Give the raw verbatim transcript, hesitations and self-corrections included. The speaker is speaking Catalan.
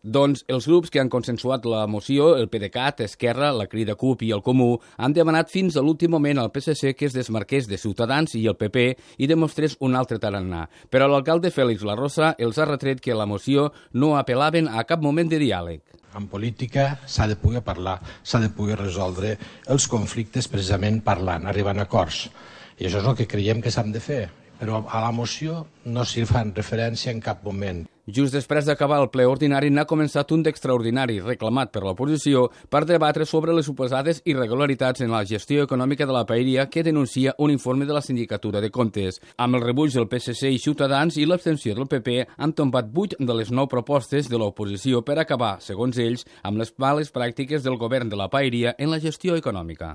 Doncs els grups que han consensuat la moció, el PDeCAT, Esquerra, la Crida CUP i el Comú, han demanat fins a l'últim moment al P S C que es desmarqués de Ciutadans i el P P i demostrés un altre tarannà. Però l'alcalde Félix Larrosa els ha retret que la moció no apel·laven a cap moment de diàleg. En política s'ha de poder parlar, s'ha de poder resoldre els conflictes precisament parlant, arribant a acords. I això és el que creiem que s'han de fer. Però a la moció no s'hi fan referència en cap moment. Just després d'acabar el ple ordinari n'ha començat un d'extraordinari reclamat per l'oposició per debatre sobre les suposades irregularitats en la gestió econòmica de la paeria que denuncia un informe de la Sindicatura de Comptes. Amb el rebuig del P S C i Ciutadans i l'abstenció del P P han tombat vuit de les nou propostes de l'oposició per acabar, segons ells, amb les males pràctiques del govern de la paeria en la gestió econòmica.